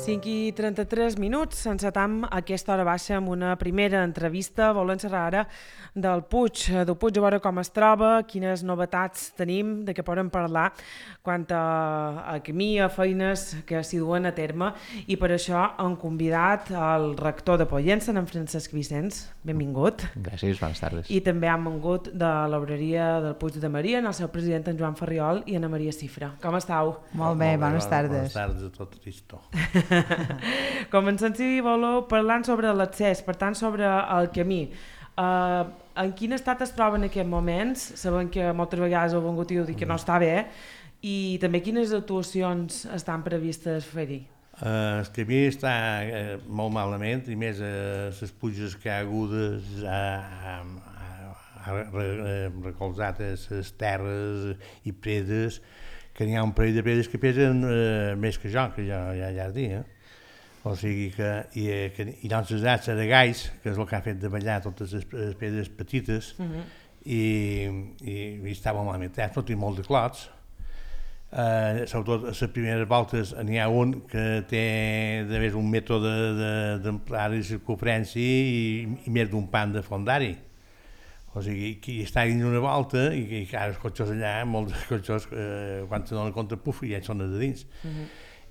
5:33, encetam a aquesta hora baixa amb una primera entrevista. Volem xerrar ara del Puig, a veure com es troba, quines novetats tenim, de què podem parlar quant a camí, a feines que s'hi duen a terme, i per això hem convidat el rector de Pollença, en Francesc Vicenç. Benvingut. Gràcies, bones tardes. I també hem vingut de l'obreria del Puig de Maria, en el seu president, en Joan Ferriol, i Ana Maria Cifra. Com estàu? Molt bé, bones tardes. Bones tardes a tot Cristo. Comencem, si voleu, parlant sobre l'accés, per tant, sobre el camí. En quin estat es troba en aquests moments? Sabem que moltes vegades heu vingut i heu dit que no està bé, i també quines actuacions estan previstes fer-hi? El camí està molt malament, i més les puges que ha agudes ha recolzat les terres i predes, que n'hi ha un parell de predes que pesen més que jo ja he dit. O sigui que hi ha uns asats aragais, que és el que ha fet de ballar totes les pedres petites, i estava malament, tot i molt de clots. Sobretot a les primeres voltes n'hi ha un que té de més un mètode d'amplada i circunferència i més d'un pan de fondari. O sigui, que està dins una volta i ara els cotxos allà, molts cotxos, quan se donen compte, puf, ja són de dins.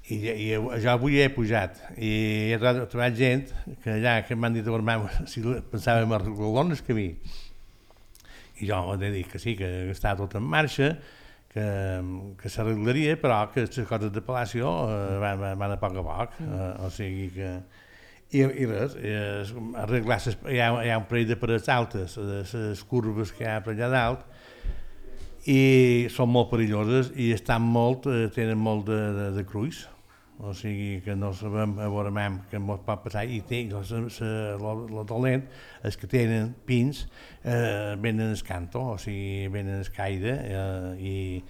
I jo avui he pujat i he trobat gent que allà que m'han dit si pensàvem arreglar el camí. I jo he dit que sí, que està tot en marxa, que s'arreglaria, però que les coses de Palacio van a poc a poc. O sigui que... I res, arreglar, hi ha un parell de parets altes, les curves que hi ha per allà dalt, i són molt perilloses i tenen molt de cruix. O sigui que no sabem a veure què ens pot passar, i el dolent és que tenen pins, venen el canto, o sigui, venen el caire, i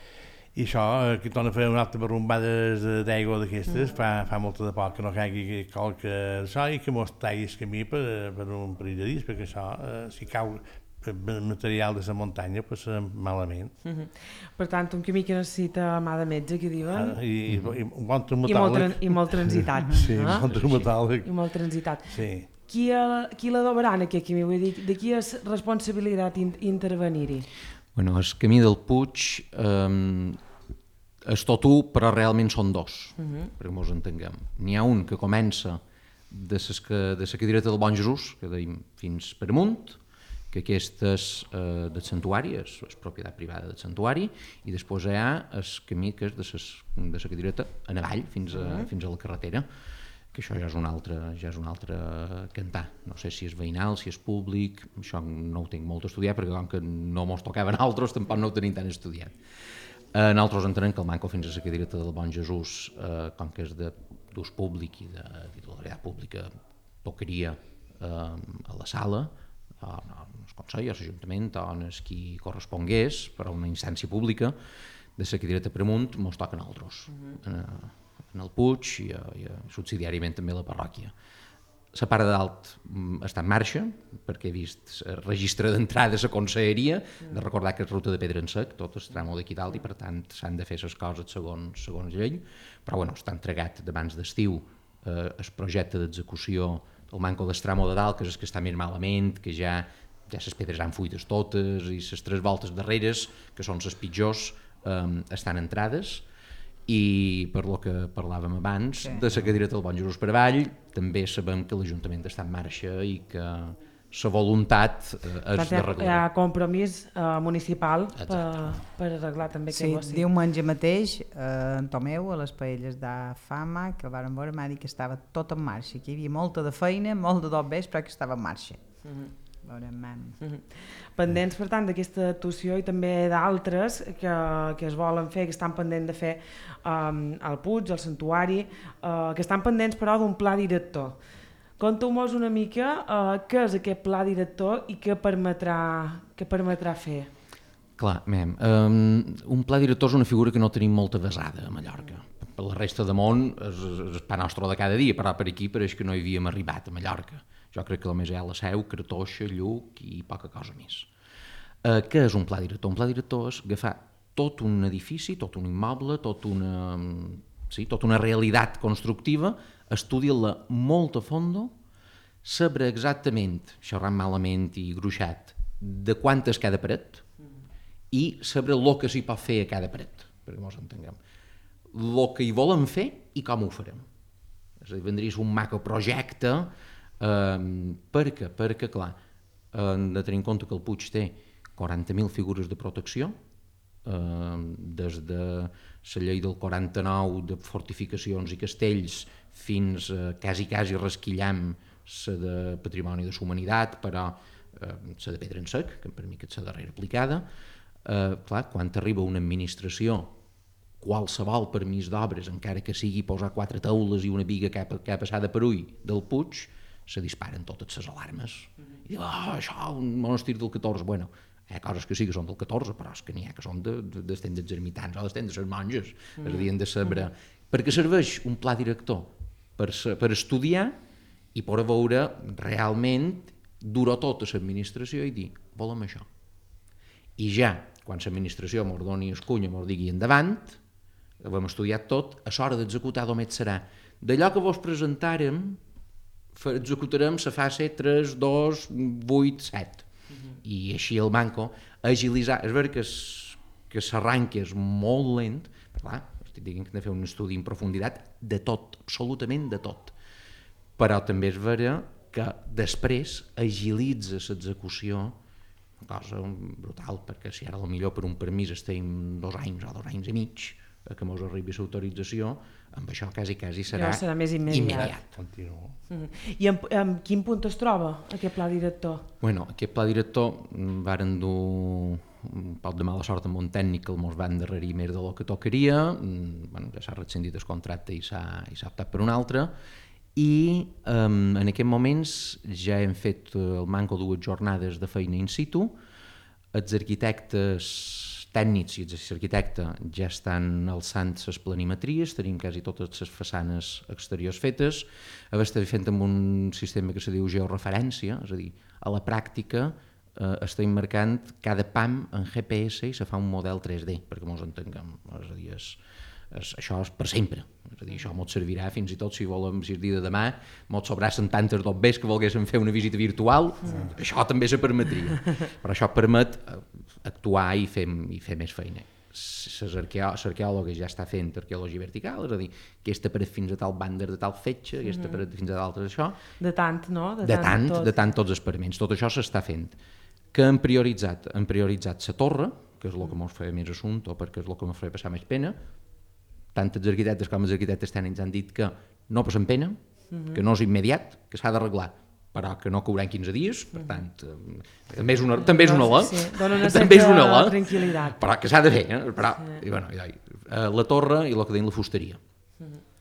això, que torna a fer una altra barrumbades d'aigua d'aquestes, fa molta de poc que no caigui qualque d'això i que mos talli el camí per un parell de dies, perquè això, si cau material de la muntanya, passa malament. Per tant, un camí que necessita mà de metge, que diuen. I un bon traumatòleg. I molt transitat. Sí, un bon traumatòleg. I molt transitat. Sí. Qui l'adobarà en aquest camí? Vull dir, de qui és responsabilitat intervenir-hi? Bueno, el camí del Puig és tot un, però realment són dos, perquè ens entenguem. N'hi ha un que comença de la cadireta del Bon Jesús, que deim fins per amunt, que aquesta és del santuari, és propietat privada del santuari, i després hi ha el camí que és de la cadireta en avall, fins a la carretera, que això ja és un altre cantar. No sé si és veïnal, si és públic, això no ho tinc molt estudiat, perquè com que no mos tocava a nosaltres, tampoc no ho tenim tan estudiat. Nosaltres entenem que el manco fins a la cadireta del Bon Jesús, com que és d'ús públic i de titularitat pública, tocaria a la sala, al Consell, a l'Ajuntament, o en qui correspongués, per a una instància pública, de la cadireta per amunt, mos toca a nosaltres. En el Puig i subsidiàriament també a la parròquia. La part de dalt està en marxa, perquè he vist el registre d'entrada a la conselleria, de recordar que és ruta de pedra en sec, tot el tramo d'aquí dalt, i per tant s'han de fer les coses segons llei, però bueno, està entregat d'abans d'estiu el projecte d'execució del manco del tramo de dalt, que és el que està més malament, que ja les pedres han fuites totes, i les 3 voltes darreres, que són les pitjors, estan entrades. I per lo que parlàvem abans, de la cadireta del Bon Jesús per avall, també sabem que l'Ajuntament està en marxa i que la voluntat és d'arreglar. Hi ha compromís municipal per arreglar també aquest bosc. Sí, diumenge mateix, en Tomeu, a les paelles de Fama, que el varen veure, m'ha dit que estava tot en marxa, que hi havia molta de feina, molt de dobbers, però que estava en marxa. Pendents, per tant, d'aquesta actuació i també d'altres que es volen fer, que estan pendents de fer al Puig, al Santuari, que estan pendents, però, d'un pla director. Conteu-nos una mica què és aquest pla director i què permetrà fer. Clar, un pla director és una figura que no tenim molta basada a Mallorca. Per la resta del món és el pa nostre de cada dia, però per aquí pareix que no hi havíem arribat a Mallorca. Jo crec que només hi ha la Seu, Cartoixa, Lluc i poca cosa més. Què és un pla director? Un pla director és agafar tot un edifici, tot un immoble, tota una realitat constructiva estudiar-la molt a fondo, saber exactament, xerrant malament i gruixat, de quant és cada paret i saber el que s'hi pot fer a cada paret, perquè ens entenguem. El que hi volen fer i com ho farem. És a dir, vendria un macroprojecte, perquè, clar, hem de tenir en compte que el Puig té 40.000 figures de protecció, des de la llei del 49 de fortificacions i castells fins a quasi resquillam la de Patrimoni de la Humanitat, però la de pedra en sec, que per mi és la darrera aplicada. Clar, quan arriba una administració, qualsevol permís d'obres, encara que sigui posar 4 taules i una biga que ha passat per ull del Puig, se disparen totes les alarmes. I diu, això, un monestir del 14, bueno, hi ha coses que sí que són del 14, però és que n'hi ha que són d'estem dels ermitans o d'estem de les monges. És a dir, hem de saber... Perquè serveix un pla director per estudiar i per veure realment durar tota l'administració i dir, volem això. I ja, quan l'administració mos doni el cuny, mos digui endavant, ho hem estudiat tot, a l'hora d'executar només serà d'allò que vos presentarem, executarem la fase 3, 2, 8, 7. I així el banco agilitzar. És veritat que s'arranca és molt lent, però clar, estic dient que hem de fer un estudi en profunditat de tot, absolutament de tot. Però també és veritat que després agilitza l'execució, una cosa brutal, perquè si ara potser per un permís estem 2 anys o 2 anys i mig, que mos arribi l'autorització, amb això quasi serà més immediat. I en quin punt es troba aquest pla director? Bueno, aquest pla director varen dur un poc de mala sort amb un tècnic que mos va endarrerir més del que tocaria, ja s'ha rescindit el contracte i s'ha optat per un altre, i en aquests moments ja hem fet el manco 2 jornades de feina in situ, els arquitectes tècnics i l'arquitecte ja estan alçant les planimetries, tenim quasi totes les façanes exteriors fetes, estem fent amb un sistema que se diu georreferència, és a dir, a la pràctica estem marcant cada pam en GPS i se fa un model 3D, perquè ens entenguem, és a dir, això és per sempre, és a dir, això ens servirà fins i tot si volem, si el dia de demà ens sobrassen tantes dobbers que volguéssim fer una visita virtual, això també se permetria, però això permet actuar i fer més feina. L'arqueòloga ja està fent arqueologia vertical, és a dir, aquesta paret fins a tal bànder de tal fetge, aquesta paret fins a d'altres això. De tant, no? De tant tots els experiments, tot això s'està fent. Que han prioritzat la torre, que és el que ens feia més assumpte, perquè és el que ens feia passar més pena. Tant els arquitectes com els arquitectes tècnics han dit que no passen pena, que no és immediat, que s'ha d'arreglar, però que no cauran 15 dies, per tant, també és una la, dona una certa tranquil·litat. Però que s'ha de fer, però, la torre i el que deien la fusteria,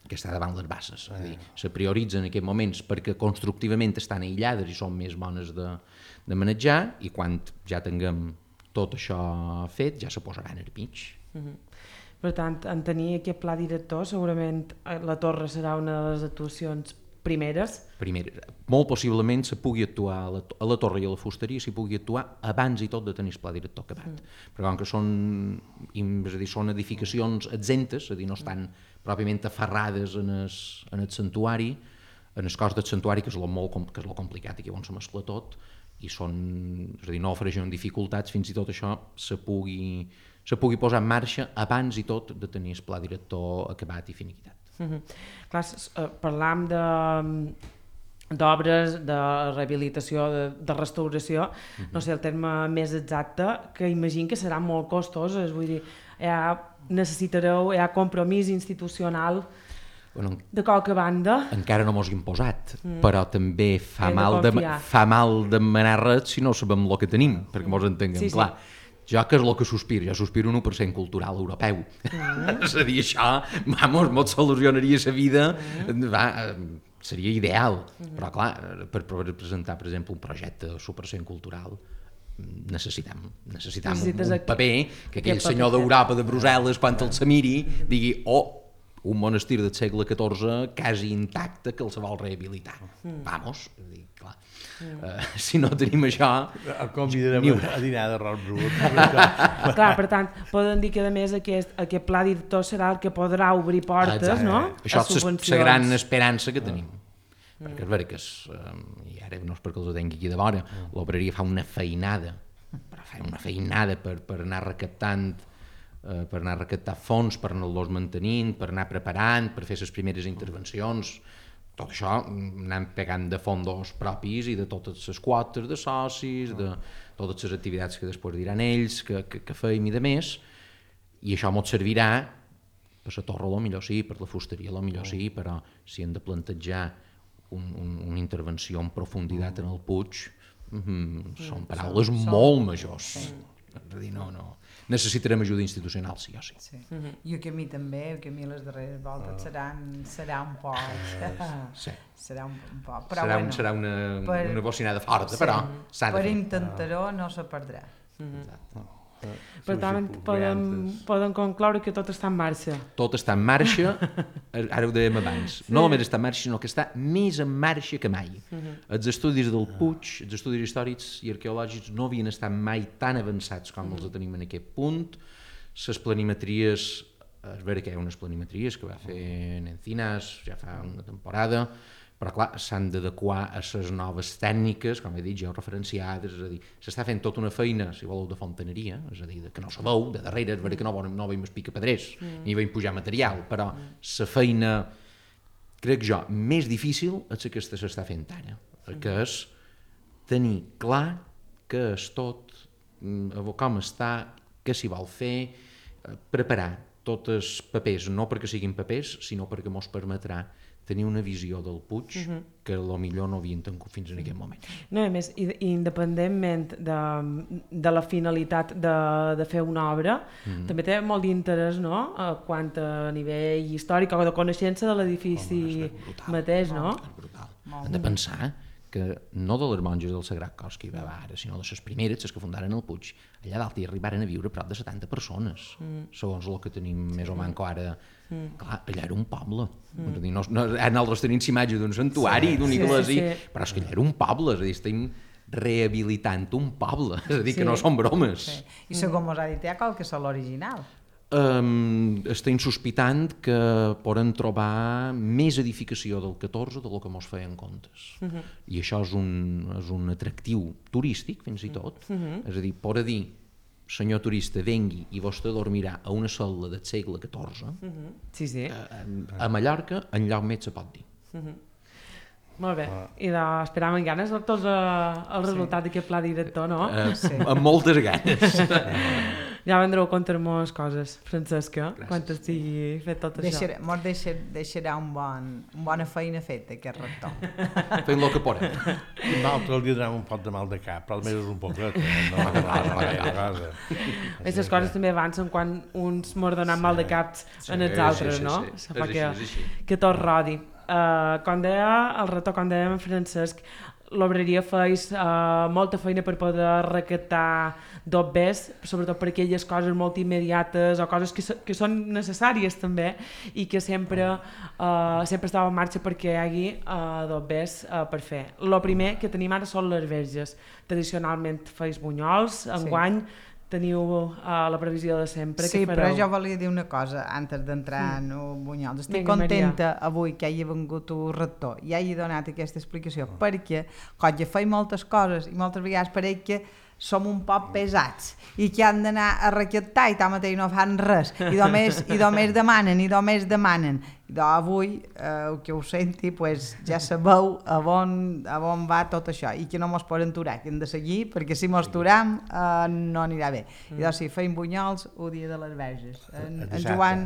que està davant les bases, és a dir, se prioritzen en aquests moments perquè constructivament estan aïllades i són més bones de manejar, i quan ja tinguem tot això fet ja se posaran al mig. Per tant, en tenir aquest pla director, segurament la torre serà una de les actuacions primeres. Molt possiblement se pugui actuar a la torre i a la fusteria, s'hi pugui actuar abans i tot de tenir el pla director acabat. Perquè com que són edificacions exemptes, és a dir, no estan pròpiament aferrades en el santuari, en el cos del santuari, que és el complicat i que on se mescla tot, i és a dir, no ofereixen dificultats, fins i tot això se pugui posar en marxa abans i tot de tenir el pla director acabat i finiquitat. Clar, parlam d'obres, de rehabilitació, de restauració, no sé el terme més exacte, que imagino que seran molt costoses, vull dir, hi ha compromís institucional de qualque banda. Encara no mos hem posat, però també fa mal demanar res si no sabem el que tenim, perquè mos entenguem, clar. Jo que és el que sospiro? Jo sospiro un 1% cultural europeu. És a dir, això, mos solucionaria la vida, seria ideal. Però clar, per presentar, per exemple, un projecte de 100% cultural, necessitem un paper que aquell senyor d'Europa, de Brussel·les, quan el se miri, digui, un monestir del segle XIV quasi intacte que el se vol rehabilitar. Vamos, clar. Si no tenim això... El convidarem a dinar d'arròs brut. Clar, per tant, poden dir que a més aquest pla director serà el que podrà obrir portes, no? Això és la gran esperança que tenim. Perquè és veritat que, i ara no és perquè els ho tingui aquí de vora, l'obreria fa una feinada, però fa una feinada per anar recaptant fons, per anar-los mantenint, per anar preparant, per fer les primeres intervencions. Tot això anant pegant de fondos propis i de totes les quotes de socis, de totes les activitats que després diran ells, que feim i de més, i això ens servirà per la torre, millor sí, per la fusteria, millor sí, però si hem de plantejar una intervenció en profunditat en el Puig, són paraules molt majors. És a dir, no. Necessitarem ajuda institucional, sí o sí. I el camí també, el camí a les darreres voltes serà un poc... Serà un poc, però bueno... Serà una bocinada forta, però s'ha de fer. Per intentar-ho no se perdrà. Per tant, poden concloure que tot està en marxa. Tot està en marxa, ara ho dèiem abans, no només està en marxa, sinó que està més en marxa que mai. Els estudis del Puig, els estudis històrics i arqueològics no havien estat mai tan avançats com els tenim en aquest punt. Les planimetries, és vera que hi ha unes planimetries que va fer Encinas ja fa una temporada, però clar, s'han d'adequar a les noves tècniques, com he dit, georreferenciades, és a dir, s'està fent tota una feina, si voleu, de fontaneria, és a dir, que no se veu, de darrere, és vera que no veiem picapedrers, ni veiem pujar material, però la feina, crec jo, més difícil és la que s'està fent ara, que és tenir clar què és tot, com està, què s'hi vol fer, preparar tots els papers, no perquè siguin papers, sinó perquè mos permetrà tenir una visió del Puig que millor no havien tingut fins en aquest moment. No, a més, independentment de la finalitat de fer una obra, també té molt d'interès, no?, quant a nivell històric o de coneixença de l'edifici mateix, no? És brutal. Hem de pensar que no de les monges del Sagrat Cos que hi va ara, sinó de les primeres, les que fundaren el Puig, allà dalt hi arribaren a viure prop de 70 persones, segons el que tenim més o manco ara. Clar, allà era un poble. Nosaltres tenim imatge d'un santuari, d'un iglesia, però és que allà era un poble, és a dir, estem rehabilitant un poble, és a dir, que no són bromes. I segons mos ha dit, hi ha qualque sol original. Estem sospitant que poden trobar més edificació del 14 del que mos feien comptes. I això és un atractiu turístic, fins i tot. És a dir, podrà dir, senyor turista, vengui i vostè dormirà a una sola del segle XIV, a Mallorca, enlloc més se pot dir. Molt bé, i esperam amb ganes tots el resultat d'aquest pla director, no? Amb moltes ganes. Ja vendreu a contar-nos coses, Francesca, quan estigui fet tot això. Mos deixarà bona feina feta, aquest rector. Fent el que podem. Nosaltres li donem un pot de mal de cap, però almenys un poquet. Aquestes coses també avancen quan uns mos donen mal de caps en els altres, no? Això fa que tot rodi. Com deia el rector, com deia en Francesc, l'obreria feis molta feina per poder recaptar dobbers, sobretot per aquelles coses molt immediates o coses que són necessàries també i que sempre estava en marxa perquè hi hagi dobbers per fer. El primer que tenim ara són les verges. Tradicionalment feis bunyols, enguany teniu la previsió de sempre. Sí, però jo volia dir una cosa antes d'entrar en Bunyols. Estic contenta avui que hagi vengut un rector i hagi donat aquesta explicació, perquè quan ja feim moltes coses i moltes vegades pareix que som un poc pesats i que han d'anar a recaptar i tanmateix no fan res i només demanen. I avui, que ho senti, ja sabeu a on va tot això i que no mos poden aturar, que hem de seguir, perquè si mos aturam no anirà bé. I doncs sí, feim bunyols el dia de les Verges.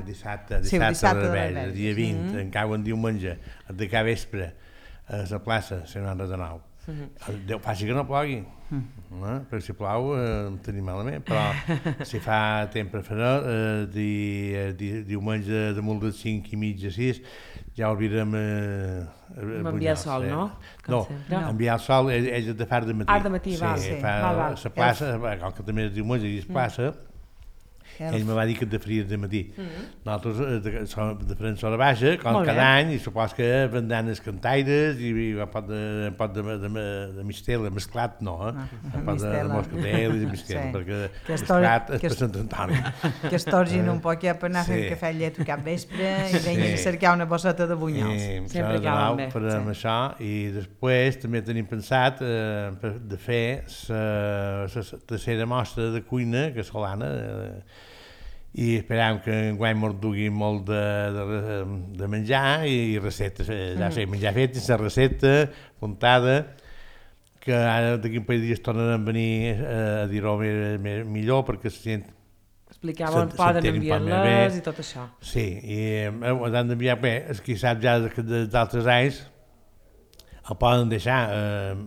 Dissabte de les Verges, dia 20, en cau en diumenge, de cada vespre, a la plaça, Sant Andreu de Nou. Déu faci que no plogui, perquè si plou tenim malament, però si fa temps preferent, diumenge de molt de 5 i mitja, 6, ja oblidem enviar el sol, no? No, enviar el sol és de far de matí. De matí, va. Sí, fa la plaça, com que també és diumenge i és plaça, ell me va dir que et faries de matí. Nosaltres som de França a la Baixa, com cada any, i supos que vendran els cantaires i un pot de mistela, mesclat no, un pot de moscatel i mistela, perquè mesclat és per Sant Antoni. Que es torgin un poc per anar a fer cafè i llet cap vespre i venir a cercar una bosseta de bunyols. Sempre cauen bé. Farem això, i després també tenim pensat de fer la tercera mostra de cuina casolana, i esperam que enguany mos dugui molt de menjar i receptes, ja sé, menjar fet, la recepta apuntada, que ara d'aquí un parell de dies tornen a venir a dir-ho millor perquè la gent explicaven, poden enviar-les i tot això. Sí, i han d'enviar bé, els qui sap ja d'altres anys el poden deixar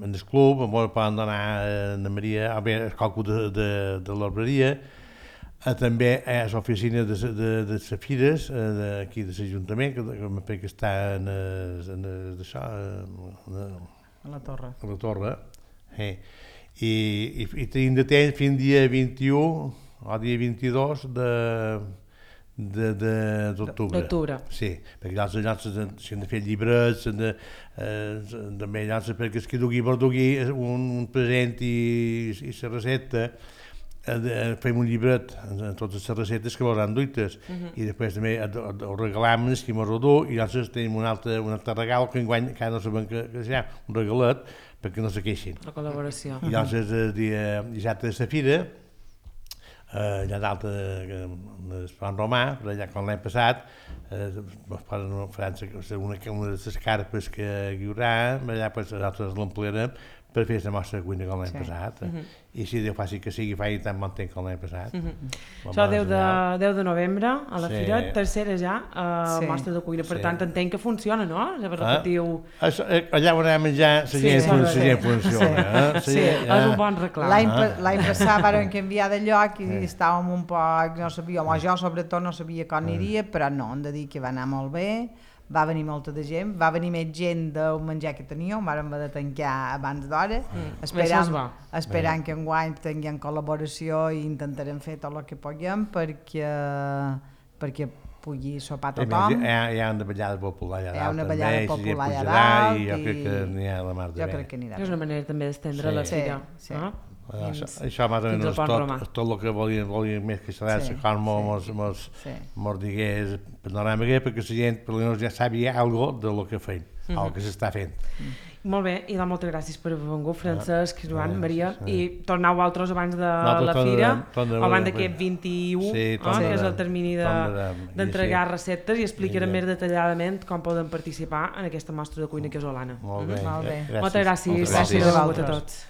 en el club, el poden donar a Maria, a veure, el coco de l'obreria, també a l'oficina de les fires d'aquí de l'Ajuntament, que està a la torre. I tenim de temps fins dia 21 o dia 22 d'octubre. Sí, perquè llavors s'han de fer llibres, també llavors perquè es que dugui un present i la recepta, fem un llibret amb totes les receptes que veuran duites i després també ho regalam els qui mos ho du, i llavors tenim un altre regal que enguany encara no sabem que serà, un regalet perquè no se queixin. La col·laboració. I llavors el dia dissabte de la fira, allà dalt del Pont Romà, per allà com l'any passat, faran una de les carpes que hi haurà, allà nosaltres l'emplearem per fer la mostra de cuina com l'any passat. I si Déu faci que sigui, faci tan bon temps com l'any passat. Això 10 de novembre, a la fira, tercera ja, mostra de cuina. Per tant, entenc que funciona, no? Allà on anem a menjar, la gent funciona. Sí, és un bon reclam. L'any passat varen canviar de lloc i estàvem un poc, no sabíem, o jo sobretot no sabia com aniria, però no, hem de dir que va anar molt bé. Va venir molta de gent, va venir més gent del menjar que teníem, vàrem haver de tancar abans d'hora, esperant que enguany tinguem col·laboració i intentarem fer tot el que puguem perquè pugui sopar tothom. Hi ha una ballada popular allà dalt. Hi ha una ballada popular allà dalt. I jo crec que n'hi ha la mar de bé. Jo crec que anirà. És una manera també d'estendre la fira. Això més o menys tot el que volíem més que saber com mos digués panorama, perquè la gent ja sabia alguna cosa del que feim, el que s'està fent. Molt bé, i moltes gràcies per haver vengut, Francesc, Joan, Maria, i torneu altres abans de la fira, o abans d'aquest 21, que és el termini d'entregar receptes, i explicarem més detalladament com poden participar en aquesta mostra de cuina casolana. Molt bé. Moltes gràcies. Gràcies a vosaltres.